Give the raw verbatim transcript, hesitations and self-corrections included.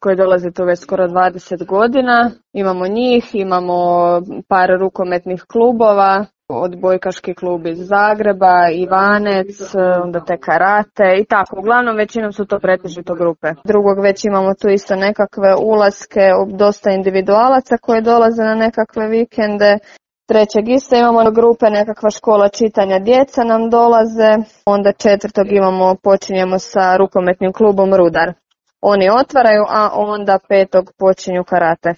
koji dolaze tu već skoro dvadeset godina. Imamo njih, imamo par rukometnih klubova, odbojkaški klub iz Zagreba, Ivanec, onda te karate i tako. Uglavnom većinom su to pretežito grupe. Drugog već imamo tu isto nekakve ulaske, dosta individualaca koji dolaze na nekakve vikende. Trećeg isto imamo grupe, nekakva škola čitanja djeca nam dolaze. Onda četvrtog imamo, počinjemo sa rukometnim klubom Rudar. Oni otvaraju, a onda petog počinju karate.